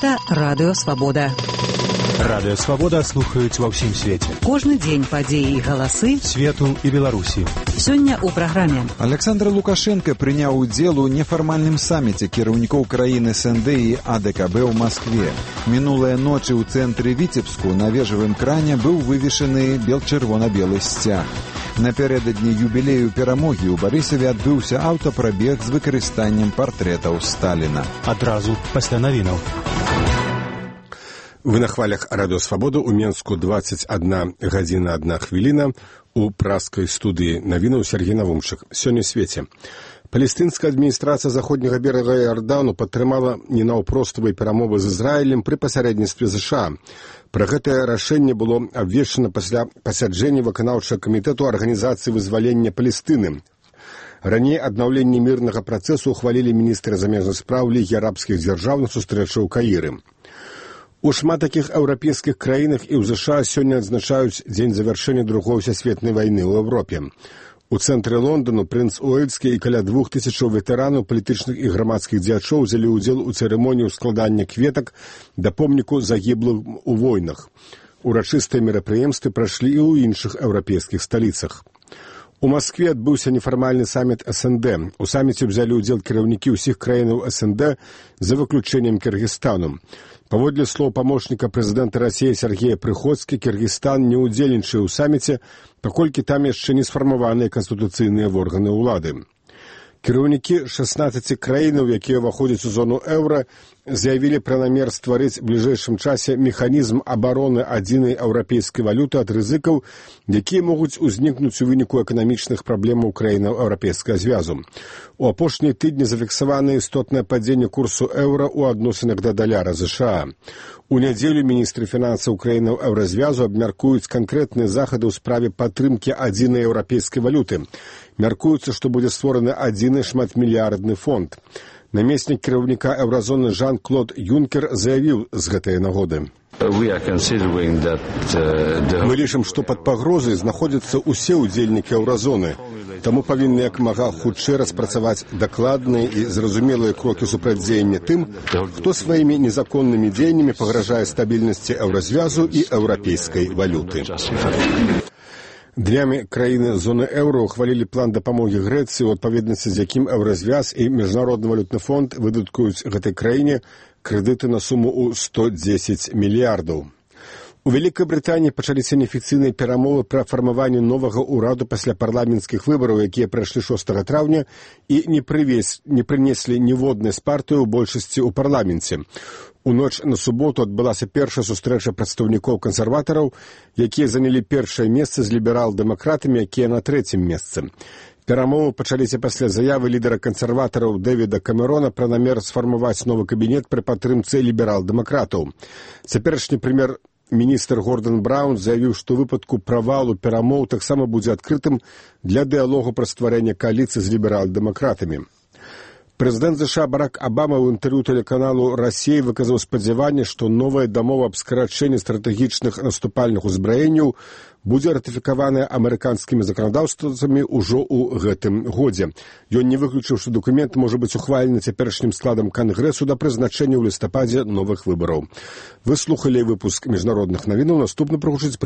Гэта Радыё Свабода. Радыё Свабода слухаюць ва ўсім свеце. Кожны дзень падзеі і галасы свету і Беларусі. Сёння ў праграме. Александр Лукашенко прыняў удзел у нефармальным саміце кіраўнікоў краін СНД і АДКБ ў Маскве. Мінулыя ночы ў цэнтры Віцебску на вежавым кране быў вывешаны чырвона-белы сцяг. Напярэдадні юбілею перамогі ў Барысаве адбыўся аўтапрабег з выкарыстаннем партрэтаў Сталіна. Адразу пасля навінаў. Вы на хвалях Радыё Свабода, у Менску 21 гадзіна 1 хвіліна, у праскай студыі навінаў Сергей Навумчык. Сёння ў свеце. Палестынская адміністрацыя заходняга берага Іордану падтрымала ненаўпроставыя перамовы з Ізраілем пры пасярэдніцтве ЗША. Пра гэтае рашэнне было абвешчана пасля пасяджэння выканаўчага камітэту Арганізацыі вызвалення Палестыны. Раней аднаўленне мірнага працэсу ухвалілі міністры замежных спраў Лігі арабскіх дзяржаў на сустрэчы ў Каіры. У шмат такіх еўрапейскіх краінах і ў ЗША сёння адзначаюць дзень завяршэння Другой сусветнай вайны ў Еўропе. У цэнтры Лондану прынц Уэльскі і каля 2000 ветэранаў палітычных і грамадскіх дзеячоў узялі ўдзел у цырымоніі складання кветак да помніку загіблым у войнах. Урачыстыя мерапрыемствы прайшлі і ў іншых еўрапейскіх сталіцах. У Маскве адбыўся нефармальны саміт СНД. У саміце ўзялі ўдзел кіраўнікі ўсіх краінаў СНД за выключэннем Кыргызстану. Паводле слоў памочніка прэзідэнта Расіі Сергея Прыходскі, Кыргызстан не ўдзельнічае ў саміце, паколькі там яшчэ не сфармаваныя канстытуцыйныя органы ўлады. Кіраўнікі 16 краінаў, якія ўваходзяць у зону еўра, заявілі пра намер стварыць у бліжэйшым часе механізм абароны адзінай еўрапейскай валюты ад рызыкаў, якія могуць узнікнуць у выніку эканамічных праблемаў краінаў еўрапейскага звязу. У апошнія тыдні зафіксавана істотнае падзенне курсу еўра ў адносінах да даляра ЗША. У нядзелю міністры фінансаў краінаў еўразвязу абмяркуюць канкрэтныя захады ў справе падтрымкі адзінай еўрапейскай валюты. Мяркуецца, што будзе створаны адзіны шматмільярдны фонд. Намеснік кіраўніка еўразоны Жан-Клод Юнкер заявіў з гэтай нагоды. Мы лічым, што пад пагрозай знаходзяцца ўсе ўдзельнікі еўразоны. Таму павінны як мага хутчэй распрацаваць дакладныя і зразумелыя крокі супрацьдзеяння тым, хто сваімі незаконнымі дзеяннямі пагражае стабільнасці еўразвязу і еўрапейскай валюты. Днямі краіны зоны еўра ухвалілі план дапамогі Грэцыі, у адпаведнасці з якім еўразвяз і Міжнародны валютны фонд выдаткуюць гэтай краіне крэдыты на суму ў 110 мільярдаў. У Вялікай Брытаніі пачаліся неафіцыйныя перамовы пра фармаванне новага ўраду пасля парламенцкіх выбараў, якія прайшлі 6 траўня і не прынеслі ніводнай з партыі ў большасці ў парламенце. У ноч на суботу адбылася першая сустрэча прадстаўнікоў кансерватараў, якія занялі першае месца з ліберал-дэмакратамі, якія на 3-м месцы. Перамовы пачаліся пасля заявы лідара кансерватараў Дэвіда Камерона пра намер сфармаваць новы кабінет пры падтрымцы ліберал-дэмакратаў. Цяперашні прэм'ер-міністр Гордан Браўн заявіў, што ў выпадку правалу перамоў таксама будзе адкрытым для дыялогу пра стварэнне кааліцыі з ліберал-дэмакратамі. Прэзідэнт ЗША Барак Абама ў інтэрв'ю тэлеканалу «Расія» выказаў спадзяванне, што новая дамова аб скарачэнні стратэгічных наступальных узбраенняў будзе ратыфікаваная амерыканскімі заканадаўствамі ўжо ў гэтым годзе. Ён не выключыў, што дакумент можа быць ухвалены цяперашнім складам Кангрэсу да прызначэння ў лістападзе новых выбараў. Вы слухалі выпуск міжнародных навінаў, наступны прагучыць